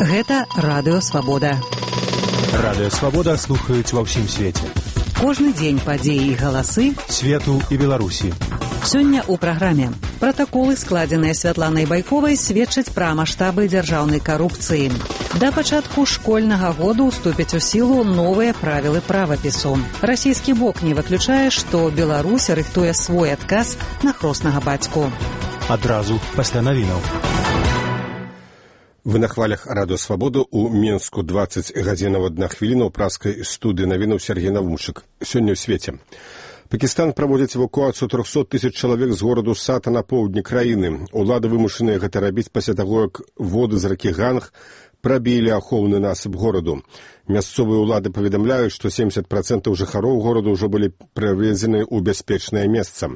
Гэта Радыё Свабода. Радыё Свабода слухаюць ва ўсім свеце. Кожны дзень падзеі і галасы свету і Беларусі. Сёння ў праграме. Пратаколы, складзеныя Святланай Байковай, сведчаць пра маштабы дзяржаўнай карупцыі. Да пачатку школьнага году ўступяць у сілу новыя правілы правапісу. Расійскі бок не выключае, што Беларусь рыхтуе свой адказ на хроснага бацьку. Адразу пасля навінаў. Вы на хвалях Радыё Свабоду ў Менску 20 гадзінаў 1 хвіліна ў праскай студыі навінаў Сергей Навумчык. Сёння ў свеце. Пакістан праводзіць эвакуацыю 300 тысяч чалавек з гораду Сата на поўдні краіны. Улады вымушаныя гэта рабіць пасля таго, як воды з ракі Ганг прабілі ахоўны насып гораду. Мясцовыя ўлады паведамляюць, што 70% жыхароў гораду ўжо былі перавезены ў бяспечнае месца.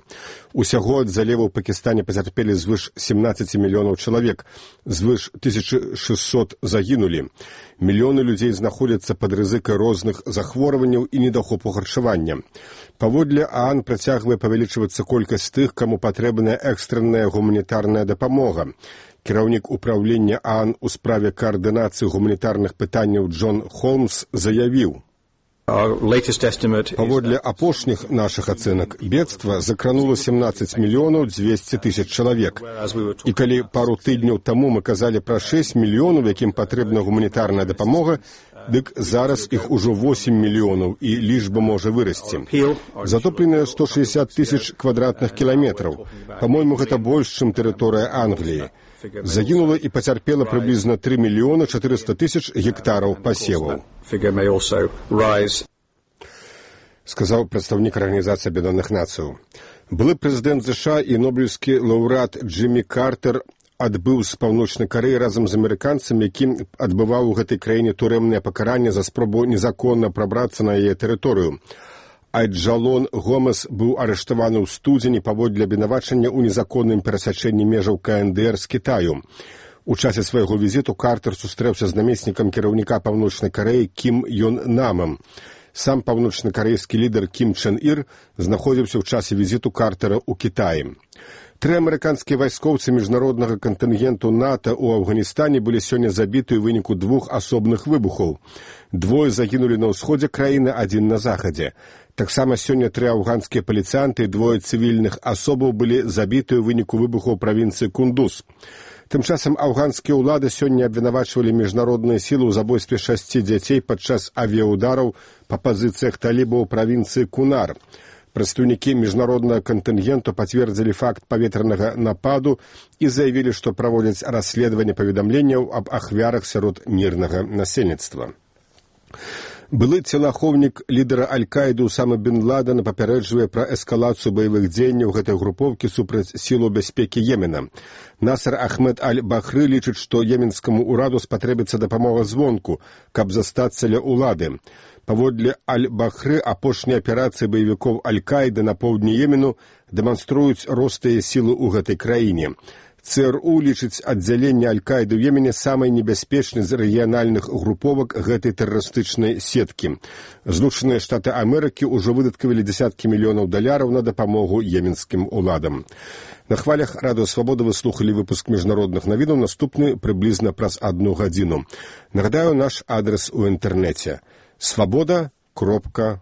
Усяго ад заліву ў Пакістане пацярпелі звыш 17 мільёнаў чалавек, звыш 1600 загінулі. Мільёны людзей знаходзяцца пад рызыкай розных захворванняў і недахопу харчавання. Паводле ААН працягвае павялічвацца колькасць тых, каму патрэбная экстранная гуманітарная дапамога. Кіраўнік управлення ААН у справе каардынацыі гуманітарных пытанняў Джон Холмс заявіў: паводле апошніх нашых ацэнак, бедства закранула 17 мільёнаў 200 тысяч чалавек. І калі пару тыдняў таму мы казалі пра 6 мільёнаў, якім патрэбна гуманітарная дапамога, дык зараз іх ужо 8 мільёнаў, і лічба можа вырасці. Затопленыя 160 тысяч квадратных кіламетраў. Па-мойму, гэта больш, чым тэрыторыя Англіі. Загінула і пацярпела прыблізна 3 мільёны 400 тысяч гектараў пасеваў, сказаў прадстаўнік Арганізацыі Аб'яднаных Нацыяў. Былы прэзідэнт США і нобелеўскі лаўрэат Джиммі Картер адбыў з Паўночнай Карэі разам з амерыканцам, які адбываў у гэтай краіне турэмнае пакаранне за спробу незаконна прабрацца на яе тэрыторыю. Айджалон Гомес быў арыштаваны ў студзені паводле абвінавачання ў незаконным перасячэнні межаў КНДР з Кітаю. У часе свайго візіту Картер сустрэўся з намеснікам кіраўніка Паўночнай Карэі Кім Ён Намам. Сам паўночнакарэйскі лідар Кім Чен Ір знаходзіўся ў часе візіту Картера ў Кітаі. 3 амерыканскія вайскоўцы міжнароднага кантынгенту НАТО ў Афганістане былі сёння забіты ў выніку 2 асобных выбухаў. 2 загінулі на ўсходзе краіны, 1 на захадзе. Таксама сёння 3 афганскія паліцыянты і 2 цывільных асобаў былі забіты ў выніку выбухаў правінцыі Кундуз. Тым часам афганскія ўлады сёння абвінавачвалі міжнародныя сілы ў забойстве 6 дзяцей падчас авіяудараў па пазіцыях талібаў у правінцыі Кунар. Прадстаўнікі міжнароднага кантынгенту пацвердзілі факт паветранага нападу і заявілі, што праводзяць расследаванне паведамленняў аб ахвярах сярод мірнага насельніцтва. Былы целаахоўнік лідара Аль-Каіды Усама бен Ладена папярэджвае пра эскалацыю баявых дзеянняў гэтай групоўкі супраць сілаў бяспекі Йемена. Насар Ахмед Аль-Бахры лічыць, што йеменскаму ўраду спатрэбіцца дапамога звонку, каб застацца ля ўлады. Паводле Аль-Бахры апошнія аперацыі баевікоў Аль-Каіды на поўдні Йемену дэманструюць рост яе сілы ў гэтай краіне. ЦРУ лічыць аддзяленне Аль-Каіды ў Йемене самай небяспечнай з рэгіянальных груповак гэтай тэрарыстычнай сеткі. Злучаныя Штаты Амерыкі ўжо выдаткавалі дзесяткі мільёнаў даляраў на дапамогу йеменскім уладам. На хвалях Радыё Свабода вы слухалі выпуск міжнародных навінаў, наступны прыблізна праз 1 гадзіну. Нагадаю, наш адрес у інтэрнэце: свабода.орг.